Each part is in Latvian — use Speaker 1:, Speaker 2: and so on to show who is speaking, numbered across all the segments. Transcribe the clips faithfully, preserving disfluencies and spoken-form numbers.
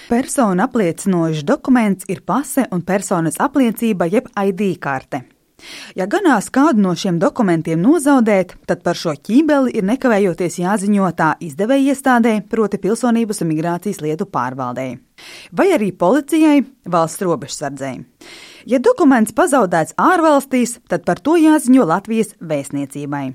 Speaker 1: Personu apliecinošs dokuments ir pase un personas apliecība jeb I D karte. Ja ganās kādu no šiem dokumentiem nozaudēt, tad par šo ķībeli ir nekavējoties jāziņo tā izdevēja iestādē, proti Pilsonības un migrācijas lietu pārvaldei, vai arī policijai, valsts robežsardzei. Ja dokuments pazaudēts ārvalstīs, tad par to jāziņo Latvijas vēstniecībai.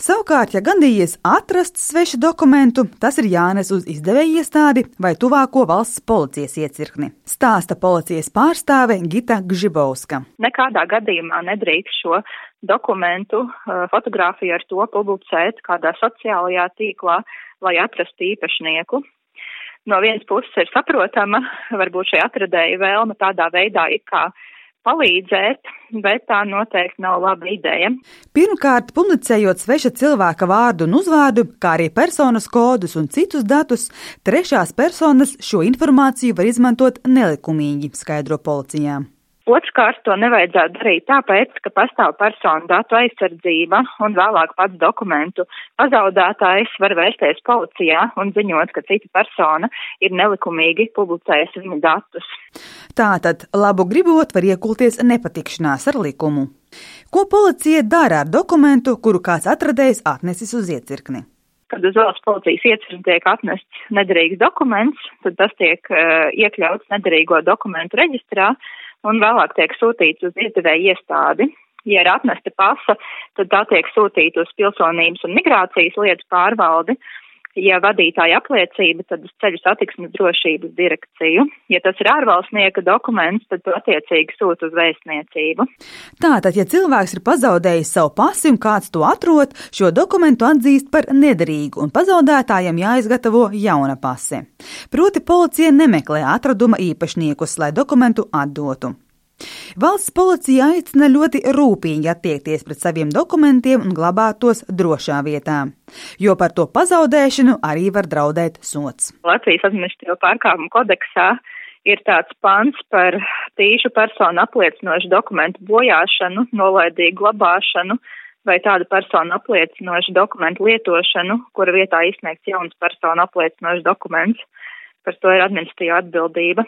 Speaker 1: Savukārt, ja gadījies atrast svešu dokumentu, tas ir jānes uz izdevēja iestādi vai tuvāko valsts policijas iecirkni. Stāsta policijas pārstāve Gita Gžibovska.
Speaker 2: Nekādā gadījumā nedrīkst šo dokumentu fotogrāfiju ar to publicēt kādā sociālajā tīklā, lai atrastu īpašnieku. No vienas puses ir saprotama, varbūt šai atradēja vēlme tādā veidā ir kā palīdzēt, bet tā noteikti nav laba ideja.
Speaker 1: Pirmkārt, publicējot sveša cilvēka vārdu un uzvārdu, kā arī personas kodus un citus datus, trešās personas šo informāciju var izmantot nelikumīgi, skaidro policijā.
Speaker 2: Otrkārt, to nevajadzētu darīt tāpēc, ka pastāv personu datu aizsardzība un vēlāk pats dokumentu pazaudētājs var vērsties policijā un ziņot, ka cita persona ir nelikumīgi publicējusi viņa datus.
Speaker 1: Tātad, labu gribot, var iekulties nepatikšanās ar likumu. Ko policija dara ar dokumentu, kuru kāds atradējs atnesis uz iecirkni?
Speaker 2: Kad uz valsts policijas iecirkni tiek atnests nederīgs dokuments, tad tas tiek uh, iekļauts nederīgo dokumentu reģistrā, un vēlāk tiek sūtīts uz izdevēja iestādi. Ja ir atnesta pasa, tad tā tiek sūtīta uz Pilsonības un migrācijas lietu pārvaldi. Ja vadītāja apliecība, tad uz Ceļu satiksmes drošības direkciju. Ja tas ir ārvalstnieka dokuments, tad to attiecīgi sūta uz vēstniecību.
Speaker 1: Tātad, ja cilvēks ir pazaudējis savu pasi un kāds to atrod, šo dokumentu atzīst par nederīgu un pazaudētājam jāizgatavo jauna pase. Proti policija nemeklē atraduma īpašniekus, lai dokumentu atdotu. Valsts policija aicina ļoti rūpīgi attiekties pret saviem dokumentiem un glabāt tos drošā vietā, jo par to pazaudēšanu arī var draudēt sods.
Speaker 2: Latvijas administratīvo pārkāpumu kodeksā ir tāds pants par tīšu personu apliecinošu dokumentu bojāšanu, nolaidīgu glabāšanu vai tādu personu apliecinošu dokumentu lietošanu, kura vietā izsniegts jauns personu apliecinošs dokuments. Par to ir administratīva atbildība.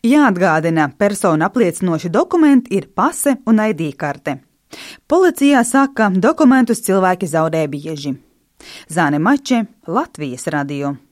Speaker 1: Jāatgādina, personu apliecinoši dokumenti ir pase un I D karte. Policijā saka, dokumentus cilvēki zaudē bieži. Zāne Mače, Latvijas radio.